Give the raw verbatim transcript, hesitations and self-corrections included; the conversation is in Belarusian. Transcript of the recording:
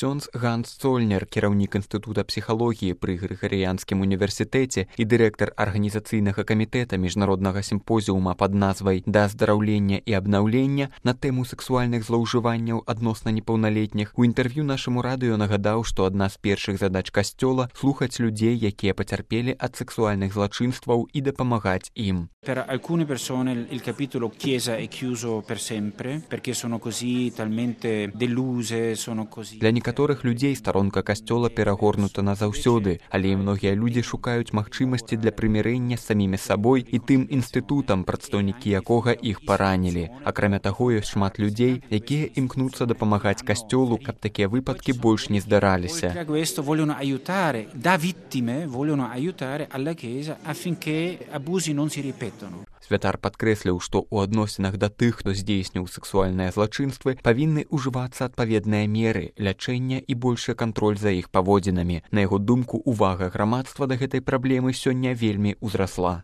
Ксёндз Ганс Цольнер, кіраўнік Інстытута псіхалогіі пры Грыгарыянскім універсітэце і дырэктар арганізацыйнага камітэта міжнароднага сімпозіума пад назвай «Да аздараўлення і абнаўлення» на тэму сексуальных злоўжыванняў адносна непаўналетніх, у інтэрв'ю нашаму радыё нагадаў, што адна з першых задач касцёла – слухаць людзей, якія пацярпелі ад сексуальных злачынстваў і дапамагаць ім. Per alcune persone il capitolo Chiesa è chiuso per sempre perché sono così talmente deluse, sono così. Для некаторых людзей старонка касцёла перагорнута назаўсёды, але і многія людзі шукаюць магчымасці для прымірэння з самімі сабой і тым інстытутам, прадстаўнікі якога іх паранілі. Акрамя таго, ёсць шмат людзей, якія імкнуцца дапамагаць касцёлу, каб такія выпадкі больш не здараліся. Questo vogliono aiutare, da vittime vogliono aiutare alla Chiesa affinché abusi non si ripetano. Святар падкрэсліў, што ў адносінах да тых, хто здзейсніў сексуальныя злачынствы, павінны ўжывацца адпаведныя меры, лячэння і большы кантроль за іх паводзінамі. На яго думку, увага грамадства да гэтай праблемы сёння вельмі ўзрасла.